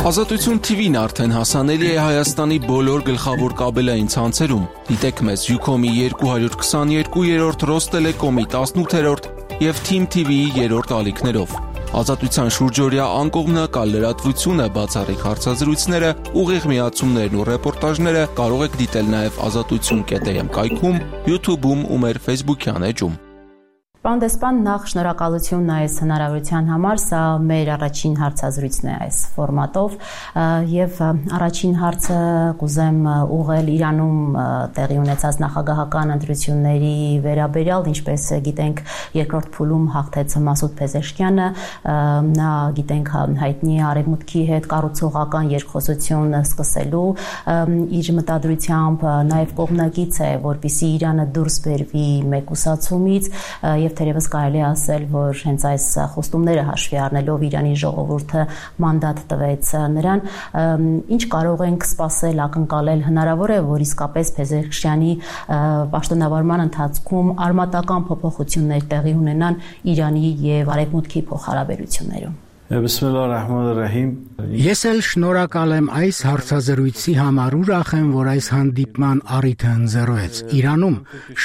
Ազատություն TV-ն արդեն հասանելի է Հայաստանի բոլոր գլխավոր կաբելային ցանցերում։ Դիտեք մեզ Ucom-ի 222-րդ, Ռոստելեկոմի 18-րդ և Team TV-ի 3-րդ ալիքներով։ Ազատության շուրջօրյա անկողմնակալ լրատվությունը, բացառիկ հարցազրույցները, ուղիղ միացումներն ու ռեպորտաժները կարող եք դիտել նաև azatutsun.am կայքում, YouTube-ում ու մեր Facebook-յան էջում։ Պարոն դեսպան, նախ շնորհակալություն այս հնարավորության համար, սա մեր առաջին հարցազրույցն է այս ֆորմատով եւ առաջին հարցը կուզեմ ուղղել Իրանում տեղի ունեցած նախագահական ընտրությունների վերաբերյալ, ինչպես գիտենք, երկրորդ փուլում հաղթեց Մասուդ Փեզեշքյանը, նա գիտենք հայտնի արևմուտքի հետ կառուցողական երկխոսություն սկսելու իր մտադրությամբ նաեւ կողմնակից է, որպեսզի Իրանը դուրս բերվի մեկուսացումից եւ թերևս կարելի է ասել, որ հենց այս խոստումները հաշվի առնելով Իրանի ժողովուրդը մանդատ տվեց նրան, ինչ կարող ենք սպասել, ակնկալել, հնարավոր է, որ իսկապես Փեզեշքյանի պաշտոնավարման ընթացքում արմատական փոփոխություններ տեղի ունենան Իրանի եւ Արևմուտքի փոխհարաբերություններում։ Ես էլ շնորհակալ եմ այս հարցազրույցի համար, ուրախ եմ, որ այս հանդիպման առիթը ընձեռվեց։ Իրանում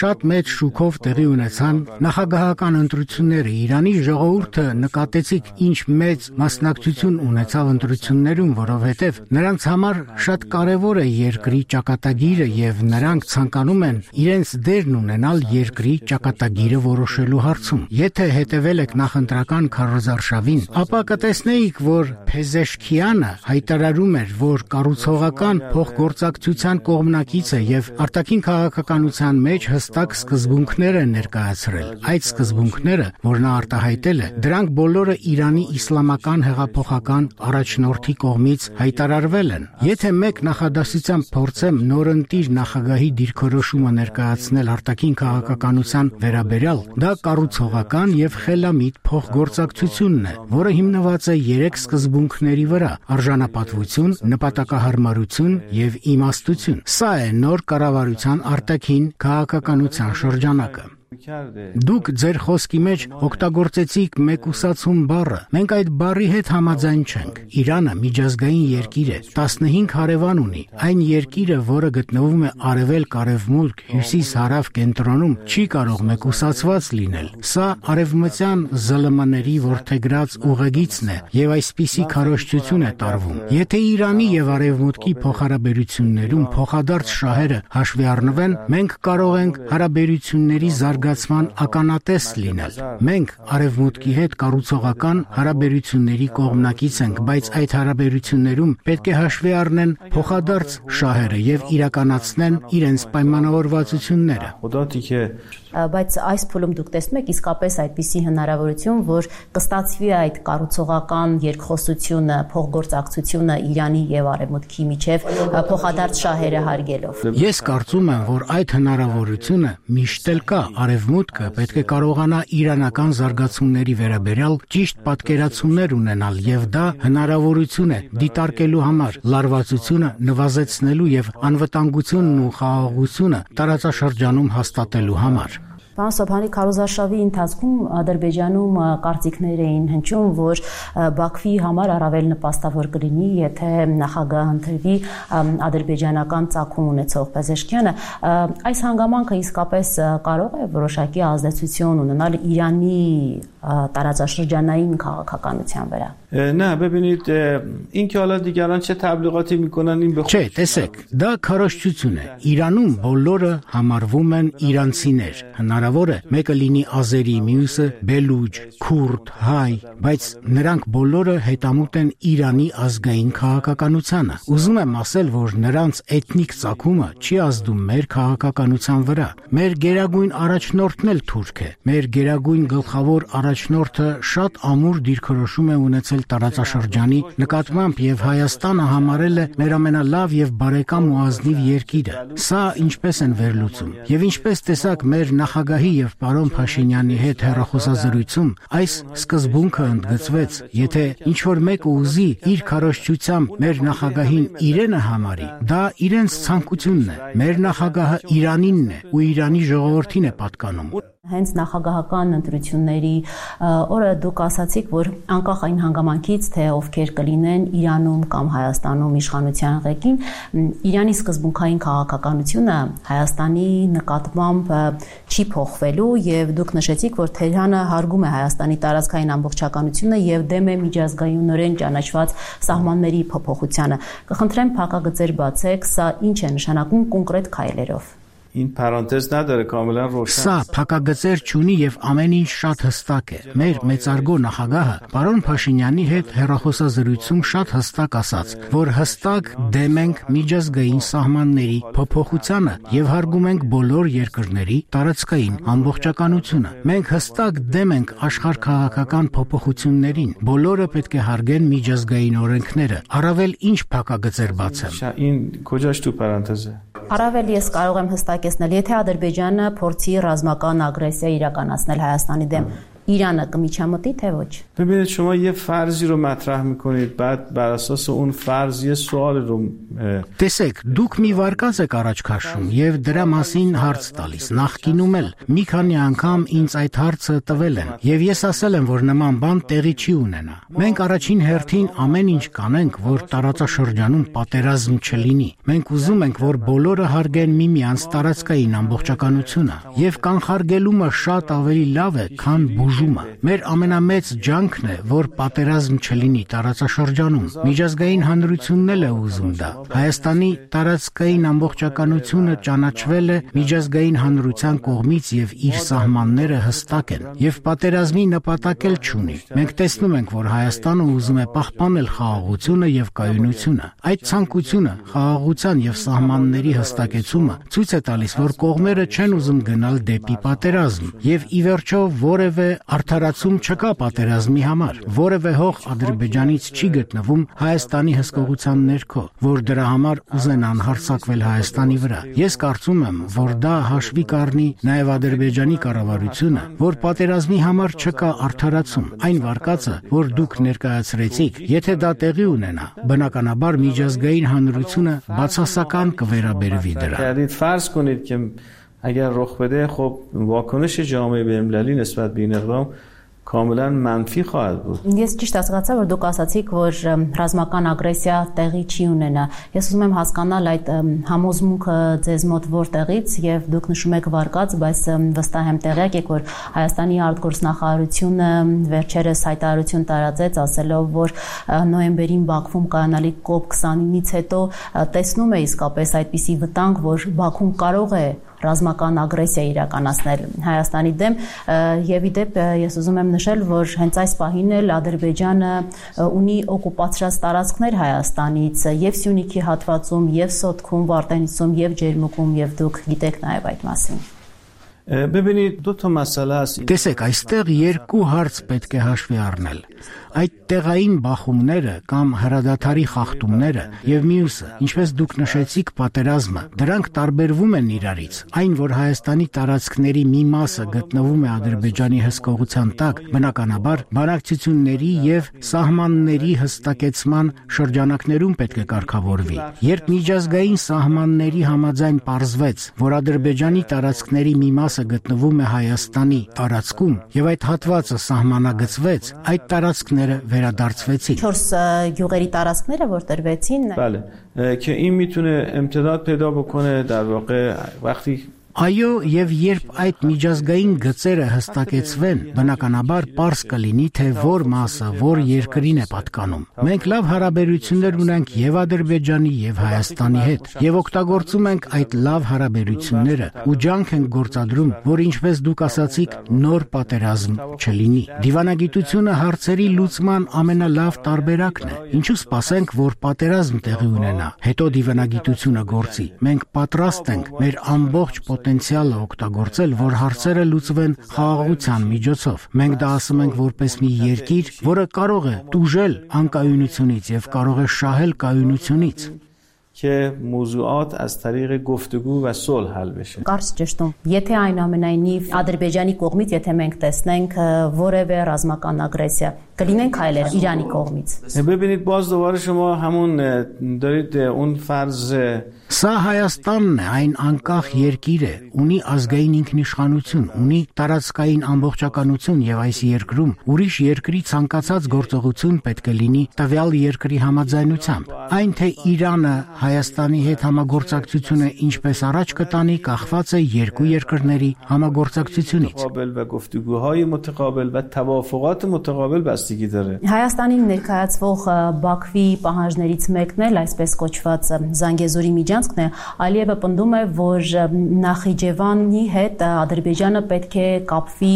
շատ մեծ շուկով տեղի ունեցան նախագահական ընտրությունները։ Իրանի ժողովուրդը նկատեցիք ինչ մեծ մասնակցություն ունեցավ ընտրություններում, որովհետև նրանց համար շատ կարևոր է երկրի ճակատագիրը եւ նրանք ցանկանում են իրենց դերն ունենալ երկրի ճակատագիրը որոշելու հարցում։ Եթե հետևել եք նախընտրական քարոզարշավին, ապա տեսնեիք, որ Փեզեշքյանը հայտարարում էր, որ կառուցողական փոխգործակցության կողմնակից է եւ արտաքին քաղաքականության մեջ հստակ սկզբունքներ է ներկայացրել։ Այդ սկզբունքները, որ նա արտահայտել է, դրանք բոլորը Իրանի իսլամական հեղափոխական առաջնորդի կողմից հայտարարվել են։ Եթե մեկ նախադասությամբ փորձեմ նորընտիր նախագահի դիրքորոշումը ներկայացնել արտաքին քաղաքականության վերաբերյալ, դա կառուցողական եւ խելամիտ փոխգործակցությունն է, որը հիմնված է 3 սկզբունքների վրա՝ արժանապատվություն, նպատակահարմարություն եւ իմաստություն։ Սա է նոր կառավարության արտաքին քաղաքականության շրջանակը։ Դուք ձեր խոսքի մեջ օգտագործեցիք մեկուսացում բառը։ Մենք այդ բառի հետ համաձայն չենք։ Իրանը միջազգային երկիր է, 15 հարևան ունի։ Այն երկիրը, որը գտնվում է արևելք-արևմուտք, հյուսիս-հարավ կենտրոնում, չի կարող մեկուսացված լինել։ Սա արևմտյան ԶԼՄ-ների որդեգրած ուղեգիծն է եւ այսպիսի քարոզչություն է տարվում։ Եթե Իրանի եւ Արևմուտքի փոխհարաբերություններում փոխադարձ շահերը հաշվի առնվեն, մենք կարող ենք հարաբերությունների զարգացման ականատես լինել։ Մենք Արևմուտքի հետ կառուցողական հարաբերությունների կողմնակից ենք, բայց այդ հարաբերություններում պետք է հաշվի առնեն փոխադարձ շահերը եւ իրականացնեն իրենց պայմանավորվածությունները։ Բայց այս փուլում դուք տեսնում եք իսկապես այդպիսի հնարավորություն, որ կստացվի այդ կառուցողական երկխոսությունը, փոխգործակցությունը Իրանի եւ Արևմուտքի միջև փոխադարձ շահերը հարգելով։ Ես կարծում եմ, որ այդ հնարավորությունը միշտ էլ կա։ Արևմուտքը պետք է կարողանա իրանական զարգացումների վերաբերյալ ճիշտ պատկերացումներ ունենալ եւ դա հնարավորություն է դիտարկելու համար, լարվածությունը նվազեցնելու եւ անվտանգությունն ու խաղաղությունը տարածաշրջանում հաստատելու համար։ Պարոն Սոբհանի, քարոզարշավի ընթացքում Ադրբեջանում կարծիքներ էին հնչում, որ Բաքվի համար առավել նպաստավոր կլինի, եթե նախագահ ընտրվի ադրբեջանական ծագում ունեցող Փեզեշքյանը։ Այս հանգամանքը իսկապես կարող է որոշակի ազդեցություն ունենալ Իրանի տարածաշրջանային քաղաքականության վրա։ نه ببینید اینکه حالا دیگران چه تبلیغاتی میکنن این Չէ, տեսեք, դա քարոզչություն է։ Իրանում բոլորը համարվում են իրանցիներ։ Հնարավոր է մեկը լինի ազերի, մյուսը բելուջ, քուրդ, հայ, բայց նրանք բոլորը հետամուտ են Իրանի ազգային քաղաքականությանը։ Ուզում եմ ասել, որ նրանց էթնիկ ծագումը չի ազդում մեր քաղաքականության վրա։ Մեր գերագույն առաջնորդն էլ թուրք է։ Մեր գերագույն գլխավոր առաջնորդը շատ ամուր դիրքորոշում է ունեցել տարածաշրջանի նկատմամբ եւ Հայաստանը համարել է մեր ամենալավ եւ բարեկամ ու ազնիվ երկիրը։ Սա ինչպես են վերլուծում։ Եվ ինչպես տեսակ մեր նախագահի եւ պարոն Փաշինյանի հետ հեռախոսազրույցում այս սկզբունքը ընդգծվեց, եթե ինչ որ մեկը ուզի իր քարոզչությամբ մեր նախագահին իրենը համարի, դա իրենց ցանկությունն է։ Մեր նախագահը Իրանինն է ու Իրանի ժողովրդին է պատկանում։ Հենց նախագահական ընտրությունների օրը դուք ասացիք, որ անկախ այն հանգամանքից, թե ովքեր կլինեն Իրանում կամ Հայաստանում իշխանության ղեկին, Իրանի սկզբունքային քաղաքականությունը Հայաստանի նկատմամբ չի փոխվելու եւ դուք նշեցիք, որ Թեհրանը հարգում է Հայաստանի տարածքային ամբողջականությունը եւ դեմ է միջազգայինորեն ճանաչված սահմանների փոփոխությանը։ Կխնդրեմ փակագծեր բացեք, սա ինչ է նշանակում կոնկրետ քայլերով։ این پرانتز نداره کاملا روشن Սա փակագծեր չունի եւ ամեն ինչ շատ հստակ է։ Մեր մեծարգո նախագահը պարոն Փաշինյանի հետ հեռախոսազրույցում շատ հստակ ասաց, որ հստակ դեմ ենք միջազգային սահմանների փոփոխությանը եւ հարգում ենք բոլոր երկրների տարածքային ամբողջականությունը։ Մենք հստակ դեմ ենք աշխարհքաղաքական փոփոխություններին։ Բոլորը պետք է հարգեն միջազգային օրենքները։ Առավել ինչ փակագծեր բացեմ։ این کجاش تو پرانتزه Առավել ես կարող եմ հստակեցնել, եթե Ադրբեջանը փորձի ռազմական ագրեսիա իրականացնել Հայաստանի դեմ, Իրանը կմիջամտի թե ոչ։ ببینید شما یه فرضی رو مطرح میکنید بعد بر اساس اون فرض یه سوال رو Տեսեք, դուք մի վարկած եք առաջ քաշում եւ դրա մասին հարց տալիս։ Նախկինում էլ մի քանի անգամ ինձ այդ հարցը տվել են եւ ես ասել եմ, որ նման բան տեղի չի ունենա։ Մենք առաջին հերթին ամեն ինչ կանենք, որ տարածաշրջանում պատերազմ չլինի։ Մենք ուզում ենք, որ բոլորը հարգեն միմյանց տարածքային ամբողջականությունը եւ կանխարգելումը շատ ավելի լավ է, քան բուժումը։ Մեր ամենամեծ ջանքն է, որ պատերազմ չլինի տարածաշրջանում։ Միջազգային հանրությունն էլ է ուզում դա։ Հայաստանի տարածքային ամբողջականությունը ճանաչվել է միջազգային հանրության կողմից եւ իր սահմանները հստակ են եւ պատերազմի նպատակ էլ չունի։ Մենք տեսնում ենք, որ Հայաստանը ուզում է պահպանել խաղաղությունը եւ կայունությունը։ Այդ ցանկությունը, խաղաղության եւ սահմանների հստակեցումը ցույց է տալիս, որ կողմերը չեն ուզում գնալ դեպի պատերազմ եւ ի վերջո որևէ արդարացում չկա պատերազմի համար։ Որևէ հող Ադրբեջանից չի գտնվում Հայաստանի հսկողության ներքո, որ դրա համար ուզենան հարձակվել Հայաստանի վրա։ Ես կարծում եմ, որ դա հաշվի կառնի նաև Ադրբեջանի կառավարությունը, որ պատերազմի համար չկա արդարացում։ Այն վարկածը, որ դուք ներկայացրեցիք, եթե դա տեղի ունենա, բնականաբար միջազգային հանրությունը բացասական կվերաբերվի դրան։ فرض کنید که اگر رخ بده خب واکنش جامعه بین‌المللی نسبت به این اقدام کاملا منفی خواهد بود. Ես ճիշտ հասկացա, որ դուք ասացիք, որ ռազմական ագրեսիա տեղի չի ունենա։ Ես ուզում եմ հասկանալ այդ համոզմունքը ձեզ մոտ որտեղից եւ դուք նշում եք վարկած, բայց վստահ եմ տեղյակ եք, որ Հայաստանի արտգործնախարարությունը վերջերս հայտարարություն տարածեց, ասելով, որ նոյեմբերին Բաքվում կայանալիք COP29-ից հետո տեսնում է իսկապես այդպիսի վտանգ, որ Բաքուն կարող է ռազմական ագրեսիա իրականացնել Հայաստանի դեմ եւ ի դեպ ես ուզում եմ նշել, որ հենց այս պահին էլ Ադրբեջանը ունի օկուպացրած տարածքներ Հայաստանից եւ Սյունիքի հատվածում, եւ Սոտքում, Վարդենիսում, եւ Ջերմուկում, եւ դուք գիտեք նաեւ այդ մասին։ ببینید دو تا مسئله است. Տեսեք, այստեղ երկու հարց պետք է հաշվի առնել։ Այդ տեղային բախումները կամ հրադադարի խախտումները եւ մյուսը, ինչպես դուք նշեցիք, պատերազմը, դրանք տարբերվում են իրարից։ Այն, որ Հայաստանի տարածքների մի մասը գտնվում է Ադրբեջանի հսկողության տակ, բնականաբար բանակցությունների եւ սահմանների հստակեցման շրջանակներում պետք է կարգավորվի։ Երբ միջազգային սահմանների համաձայն պարզվեց, որ Ադրբեջանի տարածքների մի մասը գտնվում է Հայաստանի տարածքում եւ այդ հատվածը սահմանագծվեց, այդ տարածքները վերադարձվեցին։ 4 գյուղերի տարածքները որ տրվեցին։ بله که این میتونه امتداد پیدا بکنه در واقع وقتی Այո, եւ երբ այդ միջազգային գծերը հստակեցվեն, բնականաբար պարզ կլինի, թե որ մասը, որ երկրին է պատկանում։ Մենք լավ հարաբերություններ ունենք եւ Ադրբեջանի եւ Հայաստանի հետ, եւ օգտագործում ենք այդ լավ հարաբերությունները ու ջանք ենք գործադրում, որ ինչպես դուք ասացիք, նոր պատերազմ չլինի։ Դիվանագիտությունը հարցերի լուծման ամենալավ տարբերակն է։ Ինչու սպասենք, որ պատերազմ տեղի ունենա, հետո դիվանագիտությունը գործի։ Մենք պատրաստ ենք մեր ամբողջ պոտենցիալը օգտագործել, որ հարցերը լուծվեն խաղաղության միջոցով։ Մենք դա ասում ենք որպես մի երկիր, որը կարող է տուժել անկայունությունից եւ կարող է շահել կայունությունից։ که موضوعات از طریق گفتگو و صلح حل بشه. Կարճ ճշտում, եթե այնուամենայնիվ Ադրբեջանի կողմից, եթե մենք տեսնենք որևէ ռազմական ագրեսիա, կլինեն քայլեր Իրանի կողմից։ ببینید باز دوباره شما همون دارید اون فرض Սա Հայաստանն է, այն անկախ երկիր է, ունի ազգային ինքնիշխանություն, ունի տարածքային ամբողջականություն եւ այս երկրում ուրիշ երկրի ցանկացած գործողություն պետք է լինի տվյալ երկրի համաձայնությամբ։ Այն թե Իրանը Հայաստանի հետ համագործակցությունը ինչպես առաջ կտանի, կախված է երկու երկրների համագործակցությունից։ و گفتگوهای متقابل و توافقات متقابل بستگی داره. Հայաստանին ներկայացվող Բաքվի պահանջներից մեկն էլ այսպես կոչված Զանգեզուրի միջանցքն է, Ալիևը պնդում է, որ Նախիջևանի հետ Ադրբեջանը պետք է կապվի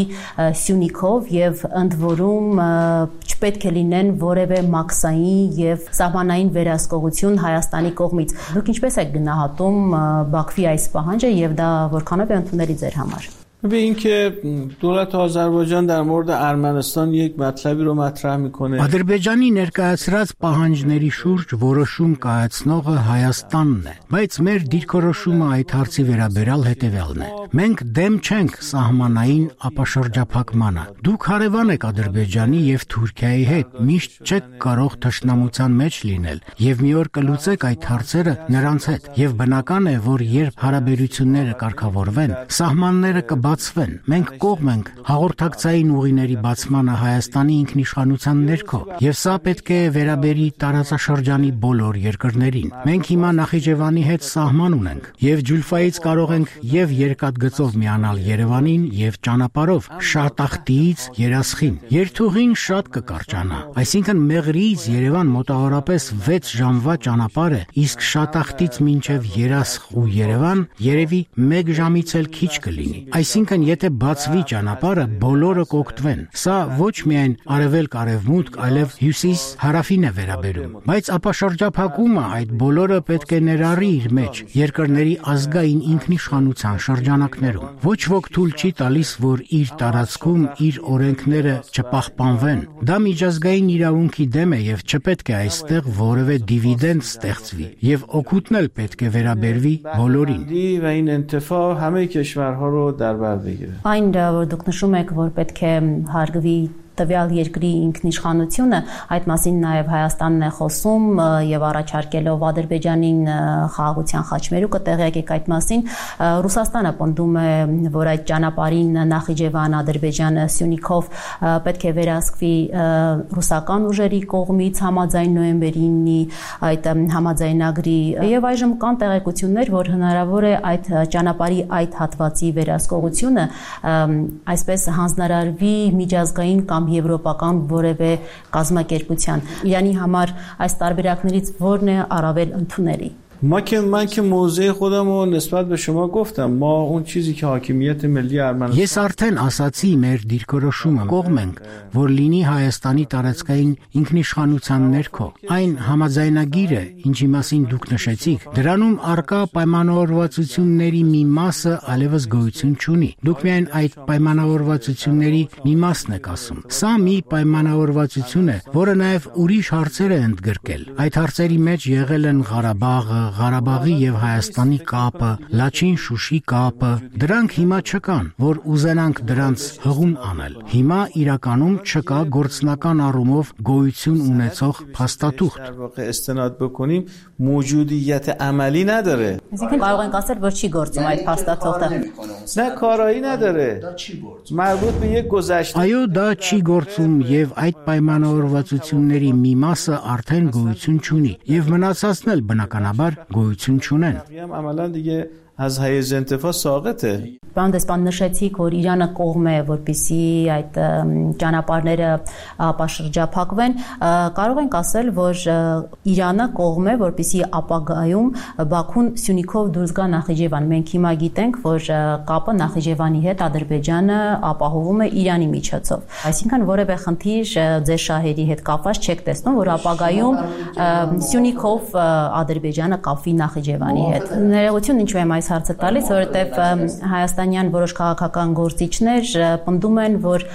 Սյունիքով եւ ընդ որում չպետք է լինեն որևէ մաքսային եւ սահմանային վերահսկողություն Հայաստանի կողմից։ Դուք ինչպես եք գնահատում Բաքվի այս պահանջը եւ դա որքանով է ընդունելի ձեր համար։ به اینکه دولت آذربایجان در مورد ارمنستان یک مطلبی رو مطرح میکنه. Ադրբեջանի ներկայացրած պահանջների շուրջ որոշում կայացնողը Հայաստանն է, բայց մեր դիրքորոշումը այդ հարցի վերաբերյալ հետևյալն է։ Մենք դեմ չենք սահմանային ապաշրջափակմանը։ Դուք հարևան եք Ադրբեջանի եւ Թուրքիայի հետ, միշտ չեք կարող թշնամության մեջ լինել եւ մի օր կլուծեք այդ հարցերը նրանց հետ։ Եվ բնական է, որ երբ հարաբերությունները կարգավորվեն, սահմանները բացվեն։ Մենք կողմ ենք հաղորդակցային ուղիների բացմանը Հայաստանի ինքնիշխանության ներքո, եւ սա պետք է վերաբերի տարածաշրջանի բոլոր երկրներին։ Մենք հիմա Նախիջևանի հետ սահման ունենք, եւ Ջուլֆայից կարող ենք եւ երկաթգծով միանալ Երևանին եւ ճանապարհով Շատախտիից Երասխին։ Երթուղին շատ կկարճանա, այսինքն Մեղրիից Երևան մոտավորապես 6 ժամվա ճանապարհ է, իսկ Շատախտից մինչեւ Երասխ ու Երևան երևի 1 ժամից էլ քիչ կլինի։ Այսինքն, եթե բացվի ճանապարհը, բոլորը կօգտվեն։ Սա ոչ միայն արևելք-արևմուտք, այլև հյուսիս-հարավին է վերաբերում։ Բայց ապաշրջափակումը այդ բոլորը պետք է ներառի իր մեջ երկրների ազգային ինքնիշխանության շրջանակներում։ Ոչ ոք թույլ չի տալիս, որ իր տարածքում իր օրենքները չպահպանվեն։ Դա միջազգային իրավունքի դեմ է եւ չպետք է այստեղ որևէ դիվիդենդ ստեղծվի եւ օգուտն էլ պետք է վերաբերվի բոլորին։ و این انتفاع همه کشورها رو در بر بگیره. Այն որ դուք նշում եք, որ պետք է հարգվի տվյալ երկրի ինքնիշխանությունը, այդ մասին նաև Հայաստանն է խոսում եւ առաջարկելով Ադրբեջանին խաղաղության խաչմերուկը տեղյակ այդ մասին։ Ռուսաստանը պնդում է, որ այդ ճանապարհին Նախիջևան, Ադրբեջանը, Սյունիքով պետք է վերահսկվի ռուսական ուժերի կողմից համաձայն նոյեմբերի 9-ի այդ համաձայնագրի եւ այժմ կան տեղեկություններ, որ հնարավոր է այդ ճանապարհի այդ հատվածի վերահսկողությունը այսպես հանձնարարվի միջազգային կամ եվրոպական որևէ կազմակերպության։ Իրանի համար այս տարբերակներից որն է առավել ընդունելի։ من که موضع خودم رو نسبت به شما گفتم. ما اون چیزی که حاکمیت ملی ارمنستان Ես արդեն ասացի մեր դիրքորոշումը կողմ ենք, որ լինի Հայաստանի տարածքային ինքնիշխանության ներքո։ Այն համաձայնագիրը, ինչի մասին դուք նշեցիք, դրանում արկա պայմանավորվածությունների մի մասը այլևս գոյություն չունի։ Դուք միայն այդ պայմանավորվածությունների մի մասն եք ասում։ Սա մի պայմանավորվածություն է, որը նաև ուրիշ հարցեր է ընդգրկել։ Այդ հարցերի մեջ եղել են Ղարաբաղը, Ղարաբաղի եւ Հայաստանի կապը, Լաչին-Շուշի կապը, դրանք հիմա չկան, որ ուզենանք դրանց հղում անել։ Հիմա իրականում չկա գործնական առումով գոյություն ունեցող փաստաթուղթ։ در واقع استناد بکنیم موجودیت عملی نداره. Այսինքն կարող ենք ասել, որ չի գործում այդ փաստաթղթը։ نه کارایی نداره. مربوط به یک گذشته. Այո, դա չի գործում եւ այդ պայմանավորվածությունների մի մասը արդեն գոյություն չունի եւ մնացածն էլ բնականաբար գոյություն չունեն։ عملا دیگه از حیز انتفاع ساقطه. Պարոն դեսպան, նշեցիք, որ Իրանը կողմ է, որպեսզի այդ ճանապարհները ապաշրջափակվեն։ Կարող ենք ասել, որ Իրանը կողմ է, որպեսզի ապագայում Բաքուն Սյունիքով դուրս գա Նախիջևան։ Մենք հիմա գիտենք, որ կապը Նախիջևանի հետ Ադրբեջանը ապահովում է Իրանի միջոցով։ Այսինքն որևէ խնդիր ձեր շահերի հետ կապված չեք տեսնում, որ ապագայում Սյունիքով Ադրբեջանը կապվի Նախիջևանի հետ։ Ներողություն, ինչու եմ այս հարցը տալիս, որովհետև Հայաստանյան որոշ քաղաքական գործիչներ պնդում են, որ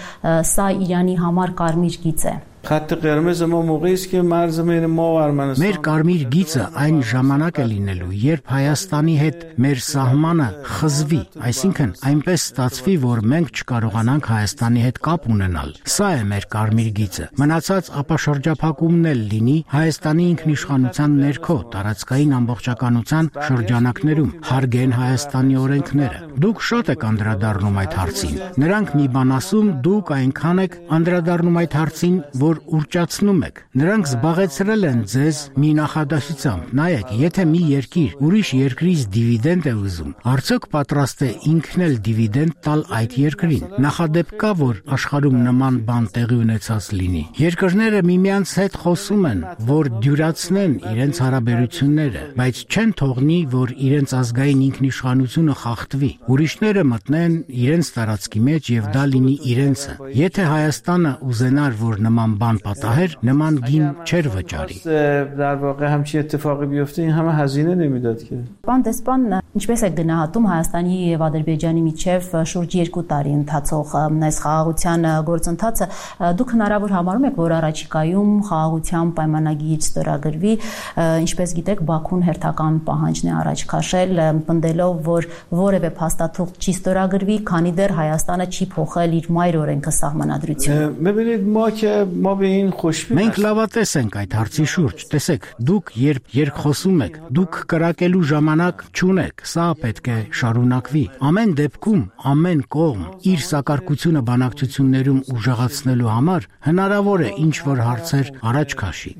սա Իրանի համար կարմիր գիծ է։ Խաթ قرمز ما موقعی است که مرز بین ما و ارمنستان Մեր կարմիր գիծը այն ժամանակ է լինելու, երբ Հայաստանի հետ մեր սահմանը խզվի, այսինքն այնպես ստացվի, որ մենք չկարողանանք Հայաստանի հետ կապ ունենալ։ Սա է մեր կարմիր գիծը։ Մնացած ապաշրջափակումն էլ լինի Հայաստանի ինքնիշխանության ներքո տարածքային ամբողջականության շրջանակներում, հարգեն Հայաստանի օրենքները։ Դուք շատ եք անդրադառնում այդ հարցին։ Նրանք մի բան ասում, դուք այնքան եք անդրադառնում այդ հարցին, որ ուռճացնում եք։ Նրանք զբաղեցրել են ձեզ մի նախադասությամբ։ Նայեք, եթե մի երկիր ուրիշ երկրից դիվիդենդ է ուզում, արդյոք պատրաստ է ինքն էլ դիվիդենդ տալ այդ երկրին։ Նախադեպ կա, որ աշխարհում նման բան տեղի ունեցած լինի։ Երկրները միմյանց հետ խոսում են, որ դյուրացնեն իրենց հարաբերությունները, բայց չեն թողնի, որ իրենց ազգային ինքնիշխանությունը խախտվի։ Ուրիշները մտնեն իրենց տարածքի մեջ եւ դա լինի իրենցը։ Եթե Հայաստանը ուզենար, որ նման բան պատահեր, նման գին չեր վճարի։ در واقع همچین اتفاقی بیفته این همه هزینه نمیداد که Պարոն դեսպան, ինչպես եք գնահատում Հայաստանի եւ Ադրբեջանի միջև շուրջ 2 տարի ընթացող այս խաղաղության գործընթացը, դուք հնարավոր համարում եք, որ առաջիկայում խաղաղության պայմանագիր ստորագրվի, ինչպես գիտեք, Բաքուն հերթական պահանջն է առաջ քաշել, պնդելով, որ որևէ փաստաթուղթ չի ստորագրվի, քանի դեռ Հայաստանը չի փոխել իր մայր օրենքը սահմանադրությունը։ ببینید ما به این خوشبین Մենք լավատես ենք այդ հարցի շուրջ։ Տեսեք, դուք երբ երկխոսում եք, դուք կրակելու ժամանակ չունեք, սա պետք է շարունակվի։ Ամեն դեպքում, ամեն կողմ իր սակարկությունը բանակցություններում ուժեղացնելու համար հնարավոր է ինչ-որ հարցեր առաջ քաշի։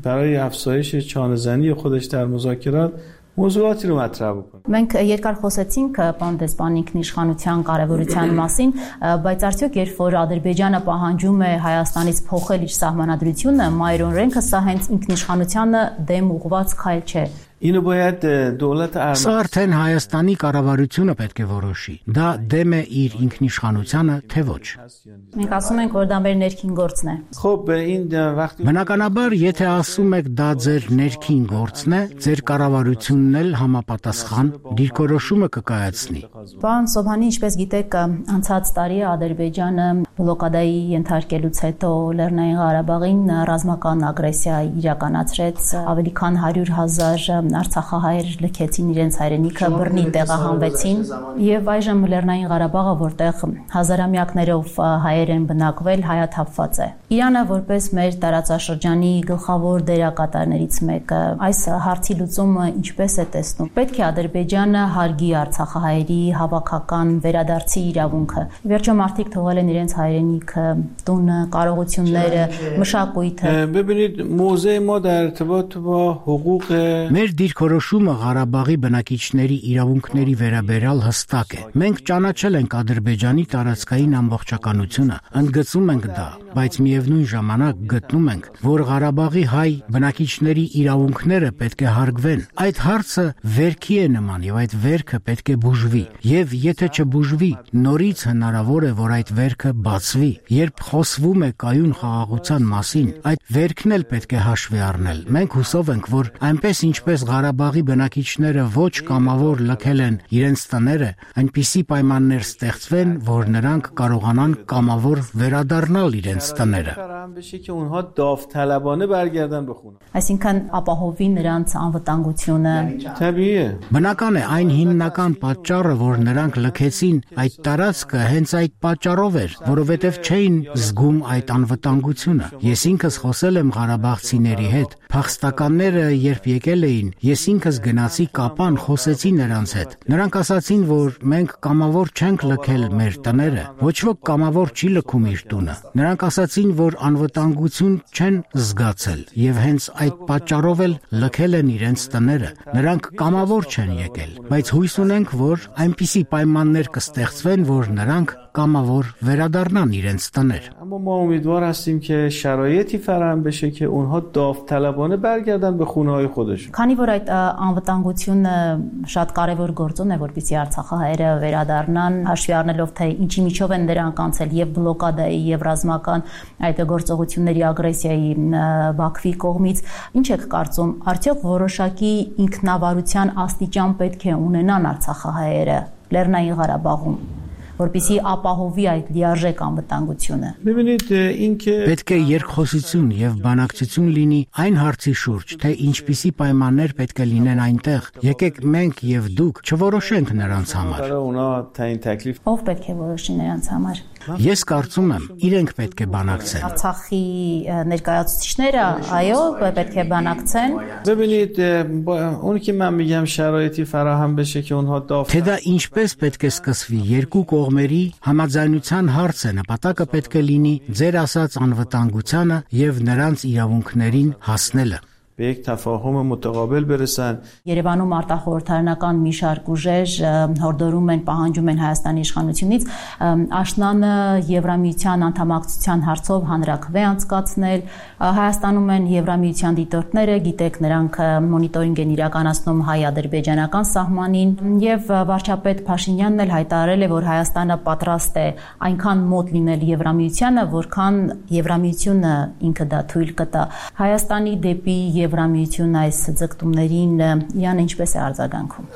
برای افزایش چانه‌زنی خودش در مذاکرات موضوعاتی رو مطرح بکنه Մենք երկար խոսեցինք պարոն դեսպան ինքնիշխանության կարևորության մասին, բայց արդյոք երբ որ Ադրբեջանը պահանջում է Հայաստանից փոխել իր սահմանադրությունը, մայր օրենքը, սա հենց ինքնիշխանությանը դեմ ուղղված քայլ չէ։ اینو باید دولت Սա արդեն Հայաստանի կառավարությունը պետք է որոշի։ Դա դեմ է իր ինքնիշխանությանը, թե ոչ։ Մենք ասում ենք, որ դա մեր ներքին գործն է։ خب این وقتی Բնականաբար, եթե ասում եք դա ձեր ներքին գործն է, ձեր կառավարությունն էլ համապատասխան դիրքորոշումը կկայացնի։ Պարոն Սոբհանի, ինչպես գիտեք, անցած տարի Ադրբեջանը բլոկադայի ենթարկելուց հետո Լեռնային Ղարաբաղին ռազմական ագրեսիա իրականացրեց, ավելի քան 100,000 Արցախահայեր լքեցին իրենց հայրենիքը, բռնի տեղահանվեցին եւ այժմ Լեռնային Ղարաբաղը, որտեղ հազարամյակներով հայեր են բնակվել, հայաթափված է։ Իրանը որպես մեր տարածաշրջանի գլխավոր դերակատարներից մեկը այս հարցի լուծումը ինչպես է տեսնում։ Պետք է Ադրբեջանը հարգի արցախահայերի հավաքական վերադարձի իրավունքը։ Վերջո մարդիկ թողել են իրենց հայրենիքը, տունը, կարողությունները, մշակույթը։ ببینید موضع ما در ارتباط با حقوق Մեր դիրքորոշումը Ղարաբաղի բնակիչների իրավունքների վերաբերյալ հստակ է։ Մենք ճանաչել ենք Ադրբեջանի տարածքային ամբողջականությունը, ընդգծում ենք դա, բայց միևնույն ժամանակ գտնում ենք, որ Ղարաբաղի հայ բնակիչների իրավունքները պետք է հարգվեն։ Այդ հարցը վերքի է նման եւ այդ վերքը պետք է բուժվի։ Եվ եթե չբուժվի, նորից հնարավոր է, որ այդ վերքը բացվի։ Երբ խոսվում է կայուն խաղաղության մասին, այդ վերքն էլ պետք է հաշվի առնել։ Մենք հուսով ենք, որ այնպես ինչպես Ղարաբաղի բնակիչները ոչ կամավոր լքել են իրենց տները, այնպիսի պայմաններ ստեղծվեն, որ նրանք կարողանան կամավոր վերադառնալ իրենց տները։ Այսինքն ապահովի նրանց անվտանգությունը։ Բնական է, այն հիմնական պատճառը, որ նրանք լքեցին այդ տարածքը, հենց այդ պատճառով էր, որովհետև չէին զգում այդ անվտանգությունը։ Ես ինքս խոսել եմ ղարաբաղցիների հետ, փախստականները երբ եկել էին, ես ինքս գնացի Կապան, խոսեցի նրանց հետ։ Նրանք ասացին, որ մենք կամավոր չենք լքել մեր տները, ոչ ոք կամավոր չի լքում իր տունը։ Նրանք ասացին, որ անվտանգություն չեն զգացել եւ հենց այդ պատճառով էլ լքել են իրենց տները։ Նրանք կամավոր չեն եկել, բայց հույս ունենք, որ այնպիսի պայմաններ կստեղծվեն, որ նրանք կամավոր վերադառնան իրենց տներ։ اما ما امیدوار هستیم که شرایطی فراهم بشه که اونها داوطلبانه برگردن به خونه‌های خودشون. Քանի որ այդ անվտանգությունը շատ կարևոր գործոն է, որպեսզի Արցախահայերը վերադառնան, հաշվի առնելով թե ինչի միջով են դրանք անցել եւ բլոկադայի եւ ռազմական այդ գործողությունների ագրեսիայի Բաքվի կողմից, ինչ եք կարծում, արդյոք որոշակի ինքնավարության աստիճան պետք է ունենան Արցախահայերը Լեռնային Ղարաբաղում, որպեսզի ապահովի այդ լիարժեք անվտանգությունը։ Պետք է երկխոսություն եւ բանակցություն լինի այն հարցի շուրջ, թե ինչպիսի պայմաններ պետք է լինեն այնտեղ։ Եկեք մենք եւ դուք չորոշենք նրանց համար։ Ով պետք է որոշի նրանց համար։ Ես կարծում եմ, իրենք պետք է բանակցեն։ Արցախի ներկայացուցիչները, այո, պետք է բանակցեն։ Թե դա ինչպես պետք է սկսվի, երկու կողմերի համաձայնության հարց է, նպատակը պետք է լինի ձեր ասած անվտանգությանը եւ նրանց իրավունքներին հասնելը։ Երևանում արտախորհրդարանական մի շարք ուժեր հորդորում են, պահանջում են Հայաստանի իշխանությունից աշնանը Եվրամիության անդամակցության հարցով հանրաքվե անցկացնել։ Հայաստանում են Եվրամիության դիտորդները, գիտեք, նրանք մոնիտորինգ են իրականացնում հայ-ադրբեջանական սահմանին, եւ վարչապետ Փաշինյանն էլ հայտարարել է, որ Հայաստանը պատրաստ է այնքան մոտ լինել Եվրամիությանը, որքան Եվրամիությունը ինքը դա թույլ կտա։ Հայաստանի դեպի Եվրամիություն այս ձգտումներին Յան ինչպես է արձագանքում։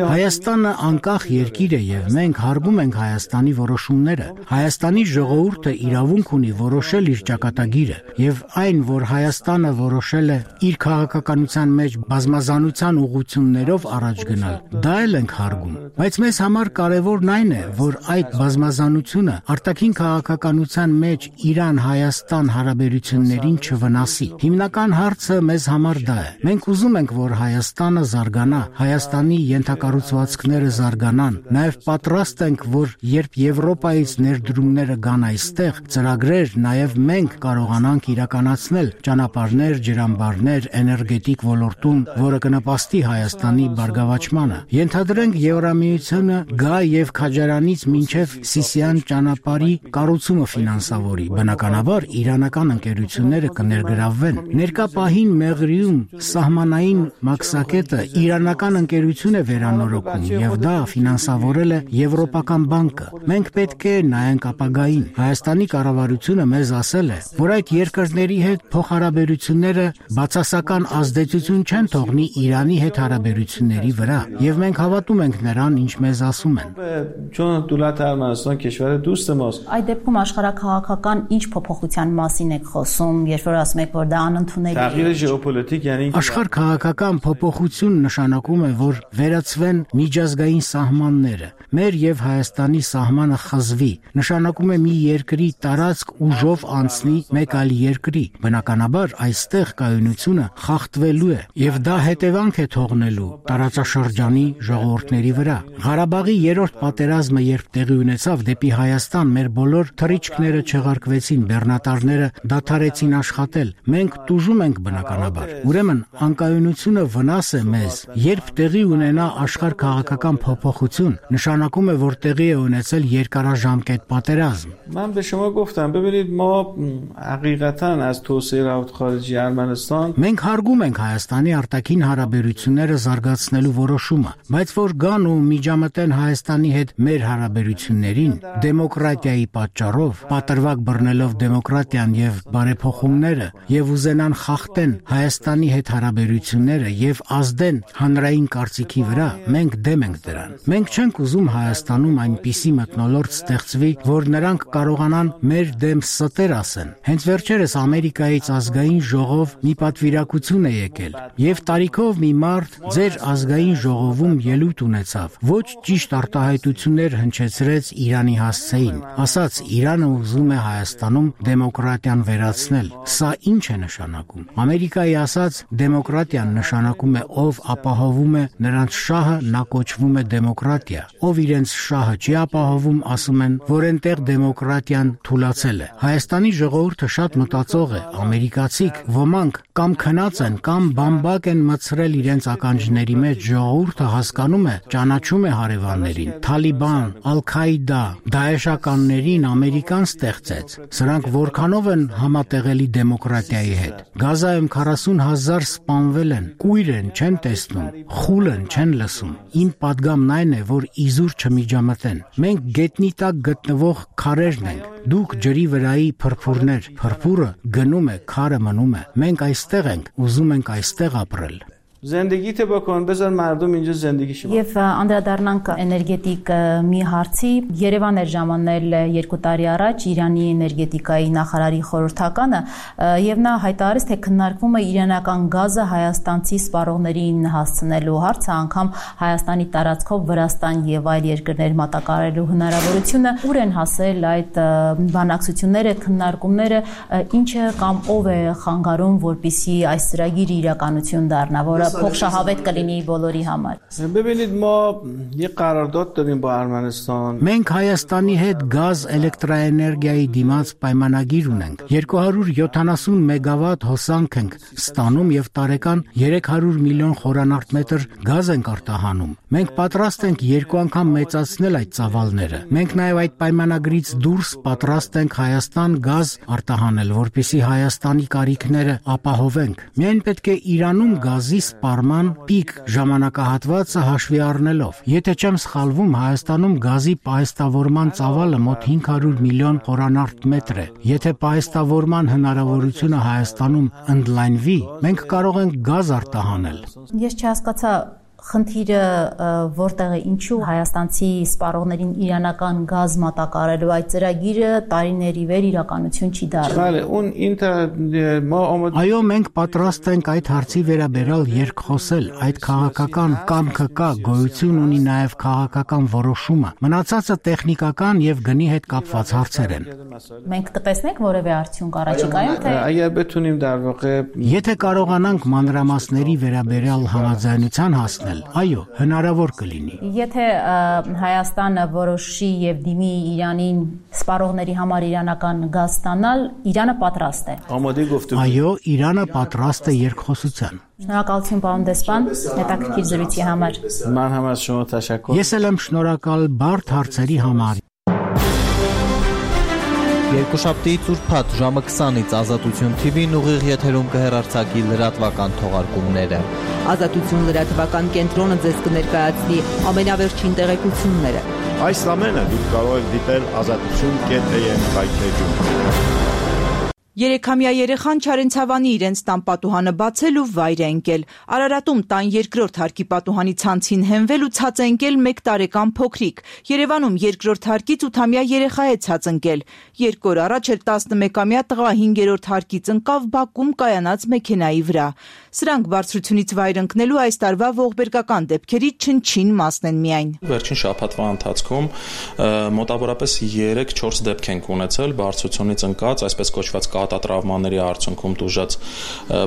Հայաստանը անկախ երկիր է եւ մենք հարգում ենք Հայաստանի որոշումները։ Հայաստանի ժողովուրդը իրավունք ունի որոշել իր ճակատագիրը եւ այն, որ Հայաստանը որոշել է իր քաղաքականության մեջ բազմազանության ուղղություններով առաջ գնալ, դա էլ ենք հարգում։ Բայց մեզ համար կարևորն այն է, որ այդ բազմազանությունը արտաքին քաղաքականության մեջ Իրան-Հայաստան հարաբերություններին չվնասի։ Հիմնական հարցը մեզ համար դա է։ Մենք ուզում ենք, որ Հայաստանը զարգանա, Հայաստանի ենթակառուցվածքները զարգանան, նաև պատրաստ ենք, որ երբ Եվրոպայից ներդրումները գան այստեղ, ծրագրեր նաև մենք կարողանանք իրականացնել ճանապարհներ, ջրամբարներ, էներգետիկ ոլորտում, որը կնպաստի Հայաստանի բարգավաճմանը։ Ենթադրենք Եվրամիությունը գա եւ Քաջարանից մինչեւ Սիսիան ճանապարհի կառուցումը ֆինանսավորի։ Բնականաբար իրանական ընկերությունները կներգրավվեն։ Ներկա պահին Մեղրիում սահմանային մաքսակետը իրանական ընկերություն է վերանորոգում եւ դա ֆինանսավորել է Եվրոպական բանկը։ Մենք պետք է նայենք ապագային։ Հայաստանի կառավարությունը մեզ ասել է, որ այդ երկրների հետ փոխհարաբերությունները բացասական ազդեցություն չեն թողնի Իրանի հետ հարաբերությունների վրա եւ մենք հավատում ենք նրան, ինչ մեզ ասում են։ Այդ դեպքում աշխարհակաղակական ինչ փոփոխության մասին եք խոսում, երբ որ ասում եք, որ դա անընդունելի է։ Աշխարհ-քաղաքական փոփոխություն նշանակում է, որ վերացվեն միջազգային սահմանները, մեր եւ Հայաստանի սահմանը խզվի, նշանակում է մի երկրի տարածք ուժով անցնի մեկ այլ երկրի։ Բնականաբար այստեղ կայունությունը խախտվելու է եւ դա հետևանք է թողնելու տարածաշրջանի ժողովուրդների վրա։ Ղարաբաղի երրորդ պատերազմը երբ տեղի ունեցավ, դեպի Հայաստան մեր բոլոր թռիչքները չեղարկվեցին, բեռնատարները դադարեցին աշխատել։ Մենք տուժում ենք բնականաբար։ Ուրեմն անկայունությունը վնաս է մեզ։ Երբ տեղի ունենա աշխարհ-քաղաքական փոփոխություն, նշանակում է, որ տեղի է ունեցել երկարաժամկետ պատերազմ։ Մենք հարգում ենք Հայաստանի արտաքին հարաբերությունները զարգացնելու որոշումը, բայց որ գան ու միջամտեն Հայաստանի հետ մեր հարաբերություններին, դեմոկրատիայի պատճառով, պատրվակ բռնելով դեմոկրատիան եւ բարեփոխումները եւ ուզենան խախտեն Հայաստանի հետ հարաբերությունները եւ ազդեն հանրային կարծիքի վրա, մենք դեմ ենք դրան։ Մենք չենք ուզում Հայաստանում այնպիսի մթնոլորտ ստեղծվի, որ նրանք կարողանան մեր դեմ ստեր ասեն։ Հենց վերջերս Ամերիկայից ազգային ժողով մի պատվիրակություն է եկել եւ տարիքով մի մարդ ձեր ազգային ժողովում ելույթ ունեցավ, ոչ ճիշտ արտահայտություններ հնչեցրեց Իրանի հասցեին, ասաց Իրանը ուզում է Հայաստանում դեմոկրատիան վերացնել։ Սա ինչ է նշանակում։ Ամերիկայի ասած դեմոկրատիան նշանակում է ով ապահովում է նրանց շահը, նա կոչվում է դեմոկրատիա։ Ով իրենց շահը չի ապահովում, ասում են, որ այնտեղ դեմոկրատիան թուլացել է։ Հայաստանի ժողովուրդը շատ մտածող է, ամերիկացիք ոմանք կամ քնած են, կամ բամբակ են մցրել իրենց ականջների մեջ։ Ժողովուրդը հասկանում է, ճանաչում է հարևաններին։ Թալիբան, Ալ-Քաիդա, Դաեշականներին Ամերիկան ստեղծեց։ Սրանք որքանով են համատեղելի դեմոկրատիայի հետ։ Գազայում 40,000 սպանվել են, կույր են, չեն տեսնում, խուլ են, չեն լսում։ Իմ պատգամն այն է, որ իզուր չմիջամտեն։ Մենք գետնի տակ գտնվող քարերն ենք։ Դուք ջրի վրայի փրփուրներ, փրփուրը գնում է, քարը մնում է։ Մենք այստեղ ենք, ուզում ենք այստեղ ապրել։ زندگیت بکن بذار مردم اینجا زندگیشو بکنن. Եվ անդրադառնանք էներգետիկ մի հարցի, Երևան էր ժամանել 2 տարի առաջ Իրանի էներգետիկայի նախարարի խորհրդականը եւ նա հայտարարեց, թե քննարկվում է իրանական գազը հայաստանցի սպառողներին հասցնելու հարցը, անգամ Հայաստանի տարածքով Վրաստան եւ այլ երկրներ մատակարարելու հնարավորությունը, ուր են հասել այդ բանակցությունները, քննարկումները, ինչը կամ ով է խանգարում, որպիսի այս ծրագիրը իրականություն դառնա, որը փոխշահավետ կլինի բոլորի համար։ ببینید ما یه قرارداد داریم با ارمنستان. Մենք Հայաստանի հետ գազ էլեկտրաէներգիայի դիմաց պայմանագիր ունենք։ 270 մեգավատ հոսանք ենք ստանում եւ տարեկան 300 միլիոն խորանարդ մետր գազ ենք արտահանում։ Մենք պատրաստ ենք 2 անգամ մեծացնել այդ ծավալները։ Մենք նաեւ այդ պայմանագրից դուրս պատրաստ ենք Հայաստան գազ արտահանել, որպեսզի Հայաստանի կարիքները ապահովենք։ Միայն պետք է Իրանում գազի սպառման պիկ ժամանակահատվածը հաշվի առնելով։ Եթե չեմ սխալվում, Հայաստանում գազի պահեստավորման ծավալը մոտ 500 միլիոն խորանարդ մետր է։ Եթե պահեստավորման հնարավորությունը Հայաստանում ընդլայնվի, մենք կարող ենք գազ արտահանել։ Ես չհասկացա խնդիրը որտեղ է, ինչու հայաստանցի սպառողներին իրանական գազ մատակարարելու այդ ծրագիրը տարիների վեր իրականություն չի դառնում։ Այո, մենք պատրաստ ենք այդ հարցի վերաբերյալ երկխոսել, այդ քաղաքական կամքը կա, գոյություն ունի նաև քաղաքական որոշումը։ Մնացածը տեխնիկական եւ գնի հետ կապված հարցեր են։ Մենք կտեսնենք որևէ արդյունք առաջիկայում, թե اگر بتونیم در واقع Եթե կարողանանք մանրամասների վերաբերյալ համաձայնության հասնել, այո, հնարավոր կլինի։ Եթե Հայաստանը որոշի եւ դիմի Իրանին սպառողների համար իրանական գազ ստանալ, Իրանը պատրաստ է։ Այո, Իրանը պատրաստ է երկխոսության։ Շնորհակալություն պարոն դեսպան, հետաքրքիր զրույցի համար։ من هم از شما تشکر. Ես էլ եմ շնորհակալ բարդ հարցերի համար։ Երկուշաբթիից ուրբաթ ժամը 20-ից Ազատություն TV-ն ուղիղ եթերում կհեռարձակի լրատվական թողարկումները։ Ազատություն լրատվական կենտրոնը ձեզ կներկայացնի ամենավերջին տեղեկությունները։ Այս ամենը դուք կարող եք դիտել azatutun.am հայթեջում։ 3-ամյա երեխան Չարենցավանի իրենց տան պատուհանը բացել ու վայր է ընկել։ Արարատում տան երկրորդ հարկի պատուհանի ցանցին հենվել ու ցած է ընկել 1 տարեկան փոքրիկ։ Երևանում երկրորդ հարկից 8-ամյա երեխա է ցած ընկել։ 2 օր առաջ էլ 11-ամյա տղա 5-րդ հարկից ընկավ Բաքում կայանած մեքենայի վրա։ Սրանք բարձրությունից վայր ընկնելու այս տարվա ողբերգական դեպքերի չնչին մասն են միայն։ Վերջին շաբաթվա ընթացքում մոտավորապես 3-4 դեպք ենք ունեցել բարձրությունից ընկած, այսպես կոչված կատատրավմաների արդյունքում տուժած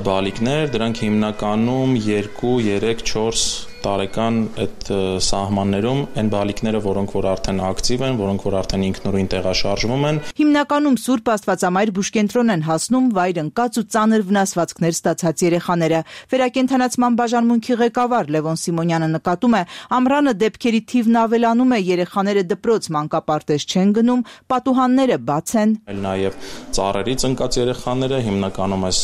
բալիկներ, դրանք հիմնականում 2, 3, 4 տարեկան այդ սահմաններում այն բալիկները, որոնք որ արդեն ակտիվ են, որոնք որ արդեն ինքնուրույն տեղաշարժվում են։ Հիմնականում Սուրբ Աստվածամայր բուժկենտրոն են հասնում վայր ընկած ու ծանր վնասվածքներ ստացած երեխաները։ Վերակենդանացման բաժանմունքի ղեկավար Լևոն Սիմոնյանը նկատում է, ամռանը դեպքերի թիվն ավելանում է, երեխաները դպրոց մանկապարտեզ չեն գնում, պատուհանները բաց են։ Նաև ծառերից ընկած երեխաները հիմնականում այս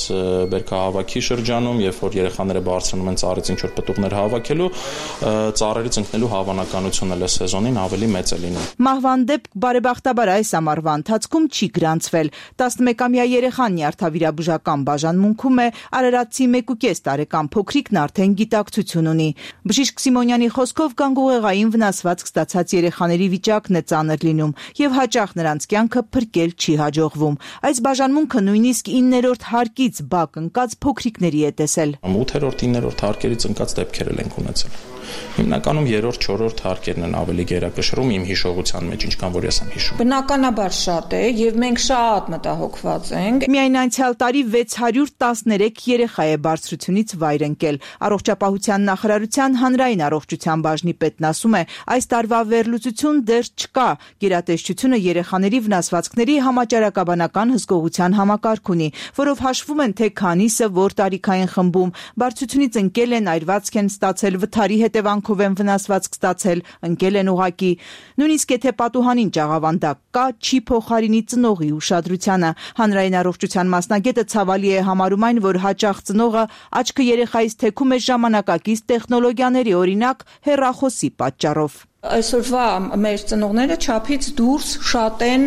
բերքահավաքի շրջանում, երբ որ երեխաները բարձրանում են ծառից ինչ-որ պտուղներ հավաքելու, ծառերից ընկնելու հավանականությունը այս սեզոնին ավելի մեծ է լինում։ Մահվան դեպք բարեբախտաբար այս ամառվա ընթացքում չի գրանցվել։ 11-ամյա երեխան նյարդավիրաբուժական բաժանմունքում է, արարատցի 1.5 տարեկան փոքրիկն արդեն գիտակցություն ունի։ Բժիշկ Սիմոնյանի խոսքով գանգուղեղային վնասվածք ստացած երեխաների վիճակն է ծանր լինում եւ հաճախ նրանց կյանքը փրկել չի հաջողվում։ Այս բաժանմունքը նույնիսկ 9-րդ հարկից բակ ընկած փոքրիկների է տեսել։ 8-րդ, 9-րդ հարկերից ընկած դեպքեր են ունեցել։ Հիմնականում 3-րդ, 4-րդ հարկերն են ավելի գերակշռում իմ հիշողության մեջ, ինչքան որ ես եմ հիշում։ Բնականաբար շատ է եւ մենք շատ մտահոգված ենք։ Միայն անցյալ տարի 613 երեխա է բարձրությունից վայր ընկել։ Առողջապահության նախարարության հանրային առողջության բաժնի պետն ասում է, այս տարվա վերլուծություն դեռ չկա։ Գերատեսչությունը երեխաների վնասվածքների համաճարակաբանական հսկողության համակարգ ունի, որով հաշվում են թե քանիսը որ տարիքային խմբում բարձրությունից ընկել են, այրվածք են ստացել, վթարի հետևանքով են վնասվածք ստացել, ընկել են ուղակի։ Նույնիսկ եթե պատուհանին ճաղավանդակ կա, չի փոխարինի ծնողի ուշադրությանը։ Հանրային առողջության մասնագետը ցավալի է համարում այն, որ հաճախ ծնողը աչքը երեխայից թեքում է ժամանակակից տեխնոլոգիաների, օրինակ հեռախոսի պատճառով։ Այսօրվա մեր ծնողները չափից դուրս շատ են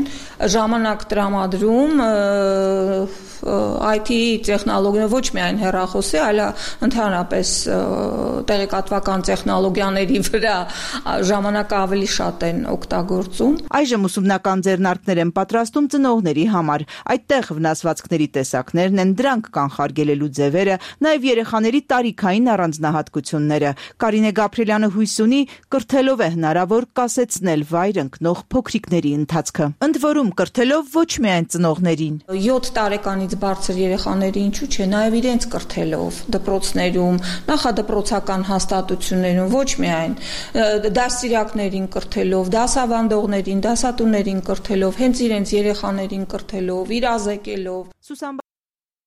ժամանակ տրամադրում IT տեխնոլոգիա ոչ միայն հեռախոսի, այլ ընդհանրապես տեղեկատվական տեխնոլոգիաների վրա ժամանակը ավելի շատ են օգտագործում։ Այժմ ուսումնական ձեռնարկներ են պատրաստում ծնողների համար։ Այդտեղ վնասվածքների տեսակներն են, դրանք կանխարգելելու ձևերը, նաև երեխաների տարիքային առանձնահատկությունները։ Կարինե Գաբրելյանը հույս ունի, կրթելով է հնարավոր կասեցնել վայր ընկնող փոքրիկների ընթացքը։ Ընդ որում կրթելով ոչ միայն ծնողներին։ 7 տարեկանից բարձր երեխաների ինչու՞ չէ, նաև իրենց կրթելով դպրոցներում, նախադպրոցական հաստատություններում, ոչ միայն դասիրակներին կրթելով, դասավանդողներին, դասատուներին կրթելով, հենց իրենց երեխաներին կրթելով, իրազեկելով։